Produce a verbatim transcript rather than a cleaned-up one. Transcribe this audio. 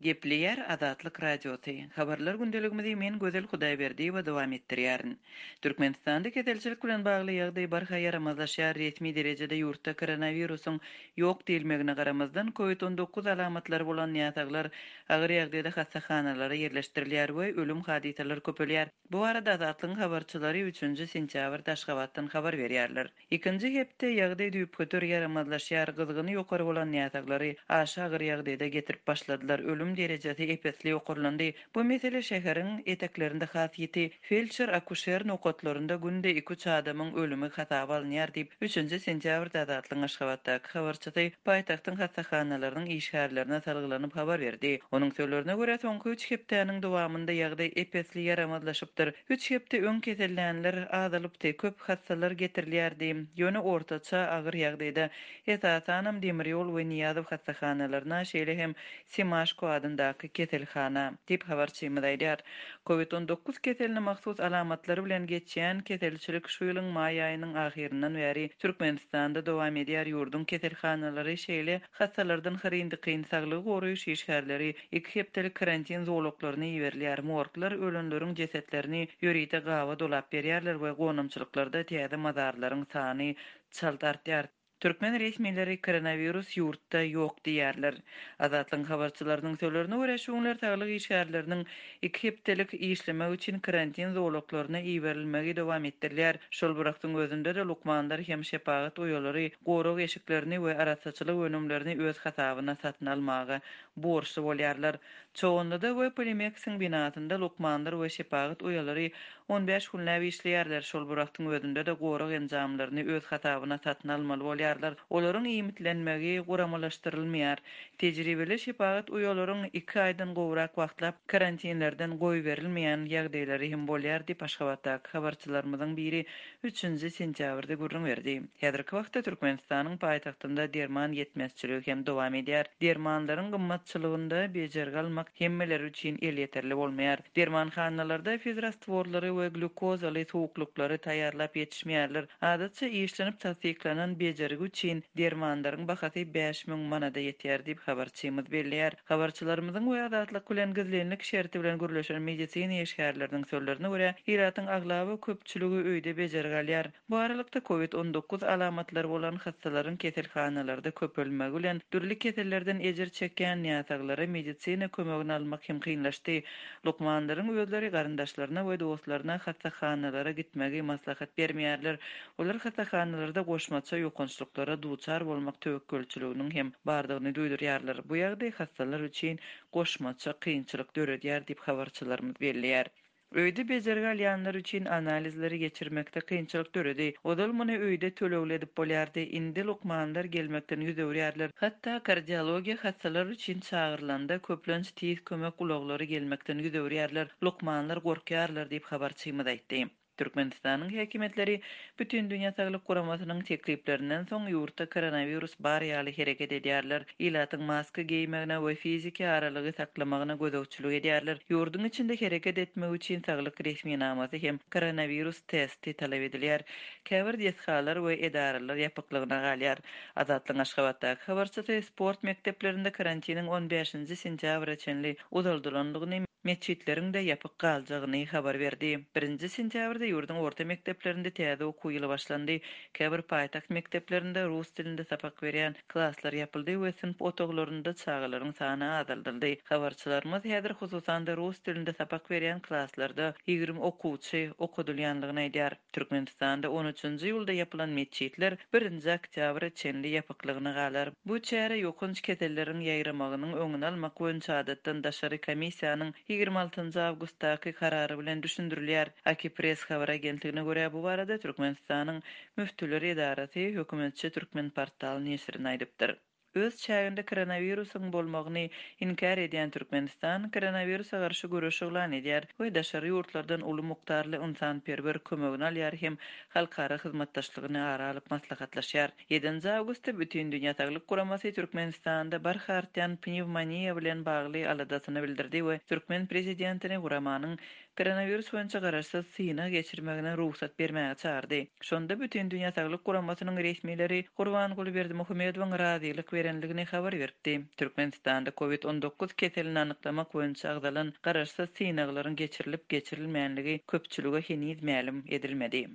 Gepleýär Azatlyk Radiosy. Habarlar gündeligimizi men Gözel Hudaýberdiýewa dowam etdirýärin. Türkmenistanda keselçilik bilen bagly ýagdaý barha ýaramazlaşýar. Resmi derejede ýurtda koronawirusyň ýok diýilmegine garamazdan, COVID on dokuz alamatlary bolan näsaglar agyr ýagdaýda hassahanalara ýerleşdirilýär we ölüm hadysalary köpelýär. Bu barada Azatlygyň habarçylary üçünji sentýabrda Aşgabatdan habar berýärler. Ikinji hepde ýagdaý düýpgöter ýaramazlaşýar, gyzgyny ýokary bolan näsaglary aşa agyr ýagdaýda getirip başladylar, ölüm derejesi ep-esli ýokarlandy. Bu mesele şäheriň eteklerinde has ýiti, feldşer-akuşer nokatlarynda günde iki-üç adamyň ölümi hasaba alynýar diýip, üçünji sentýabrda Azatlygyň Aşgabatdaky habarçysy paýtagtyň hassahanalarynyň işgärlerine salgylanyp habar berdi. Onuň sözlerine görä, soňky üç hepdäniň dowamynda ýagdaý ep-esli ýaramazlaşypdyr. Üç hepde öň kesellänler azalypdy, köp hassalar getirilýärdi. Ýöne ortaça agyr ýagdaýda esasanam demir ýol we Niýazow hassahanalaryna, şeýle hem Semaşko adyndaky keselhana diýip habarçymyz aýdýar. COVID on dokuz keseline mahsus alamatlary bilen geçýän keselçilik şu ýylyň maý aýynyň ahyryndan bäri Türkmenistanda dowam edýär. Ýurduň keselhanalary şeýle hassalardan hyryn-dykyn saglygy goraýyş işgärleri iki hepdelik karantin zolaklaryna iberilýär. Morglar ölenleriň jesetlerini ýörite gaba dolap berýärler we gonamçylyklarda täze mazarlaryň sany çalt artýar. Türkmen resmileri koronawirus ýurtda ýok diýýärler. Azatlygyň habarçylarynyň sözlerine görä, şu günler saglyk işgärleriniň iki hepdelik işlemek üçin karantin zolaklaryna iberilmegi dowam etdirilýär. Şol bir wagtyň özünde-de lukmanlar hem şepagat uýalary gorag eşiklerini we arassaçylyk önümlerini öz hasabyna satyn almaga borçly bolýarlar. Çoganlyda we Polimeksiň binasynda lukmanlar we şepagat uýalary on bäş günläp işleýärler. Şol bir wagtyň özünde-de gorag enjamlaryny öz hasabyna satyn almaly bolýarlar. Olaryň iýmitlenmegi guramalaşdyrylmaýar. Tejribeli şepagat uýalaryň iki aýdan gowrak wagtlap karantinlerden goýberilmeýän ýagdaýlary hem bolýar diýip Aşgabatdaky habarçylarymyzyň biri üçünji sentýabrda gürrüň berdi. Häzirki wagtda Türkmenistanyň paýtagtynda derman ýetmezçiligi hem dowam edýär. Dermanlaryň gymmatçylygynda bejergi almak hemmeler üçin elýeterli bolmaýar. Dermanhanalarda fizrastworlary we glýukozaly suwuklyklary taýýarlap ýetişmeýärler. Adatça işlenip tassyklanan bejergi üçin dermanlaryň bahasy bäş müň manada ýetýär diýip habarçymyz belleýär. Habarçylarymyzyň we Azatlyk bilen gizlinlik şerti bilen gürleşen medisina işgärleriniň sözlerine görä, ilatyň aglaba köpçüligi öýde bejergi alýar. Bu aralykda COVID on dokuz alamatlary bolan hassalaryň keselhanalarda köpelmegi bilen dürli kesellerden ejir çekýän näsaglara medisina kömegini almak hem kynlaşdy. Lukmanlaryň özleri garyndaşlaryna we dostlaryna hassahanalara gitmegi maslahat bermeýärler. Olar hassahanalarda goşmaça ýokançlyklara duçar bolmak töwekgelçiliginiň hem bardygyny duýdurýarlar. Bu ýagdaý hassalar üçin goşmaça kynçylyk döredýär diýip habarçylarymyz belleýär. Öýde bejergi alýanlar üçin analizleri geçirmekde kynçylyk döredi. Ozal muny öýde tölegli edip bolýardy. Indi lukmanlar gelmekden ýüz öwürýärler. Hatda kardiologiýa hassalar üçin çagyrylanda köplenç tiz kömek ulaglary gelmekden ýüz öwürýärler. Lukmanlar gorkýarlar diýip habarçymyz aýtdy. Türkmenistanyň häkimiýetleri Bütindünýä Saglyk Guramasynyň tekliplerinden soň ýurtda koronawirus bar ýaly hereket edýärler. Ilatyň maska geýmegine we fiziki aralygy saklamagyna gözegçilik edýärler. Ýurduň içinde hereket etmek üçin saglyk resminamasy hem koronawirus testi talap edilýär. Käbir desgalar we edaralar ýapyklygyna galýar. Azatlygyň Aşgabatdaky habarçysy sport mekdeplerinde karantiniň on bäşinji sentýabra çenli uzaldylandygyny, metjitleriň de ýapyk galjagyny habar berdi. Birinji sentýabrda ýurduň orta mekdeplerinde täze okuw ýyly başlandy. Käbir paýtagt mekdeplerinde rus dilinde sapak berýän klaslar ýapyldy we synp otaglarynda çagalaryň sany azaldyldy. Habarçylarymyz häzir hususan-da rus dilinde sapak berýän klaslarda ýigrimi okuwçy okadylýanlygyny aýdýar. Türkmenistanda on üçünji ýylda ýapylan metjitler birinji oktýabra çenli ýapyklygyna galar. Bu çäre ýokanç keselleriň ýaýramagynyň öňüni almak boýunça adatdan daşary komissiýanyň ýigrimi altynjy awgustdaky karary bilen düşündirilýär. Akipress habar agentligine görä bu barada Türkmenistanyň Müftüler edarasy hökümetçi Türkmen portal neşirine aýdypdyr. Öz çäginde koronawirusyň bolmagyny inkär edýän Türkmenistan koronawirusa garşy göreş yglan edýär we daşary ýurtlardan uly mukdarly ynsanperwer kömegini alýar hem halkara hyzmatdaşlygyny ara alyp maslahatlaşýar. Ýedinji awgustda Bütindünýä Saglyk Guramasy Türkmenistanda barha artýan pnewmoniýa bilen bagly aladasyny bildirdi we Türkmen prezidentini guramanyň koronawirus boýunça garaşsyz synag geçirmegine rugsat bermäge çagyrdy. Şonda Bütindünýä Saglyk Guramasynyň resmileri Gurbanguly Berdimuhamedowyň razylyk berendigini habar beripdi. Türkmenistanda Covid on dokuz keselini anyklamak boýunça agzalan garaşsyz synaglaryň geçirilip-geçirilmänligi köpçülige heniz mälim edilmedi.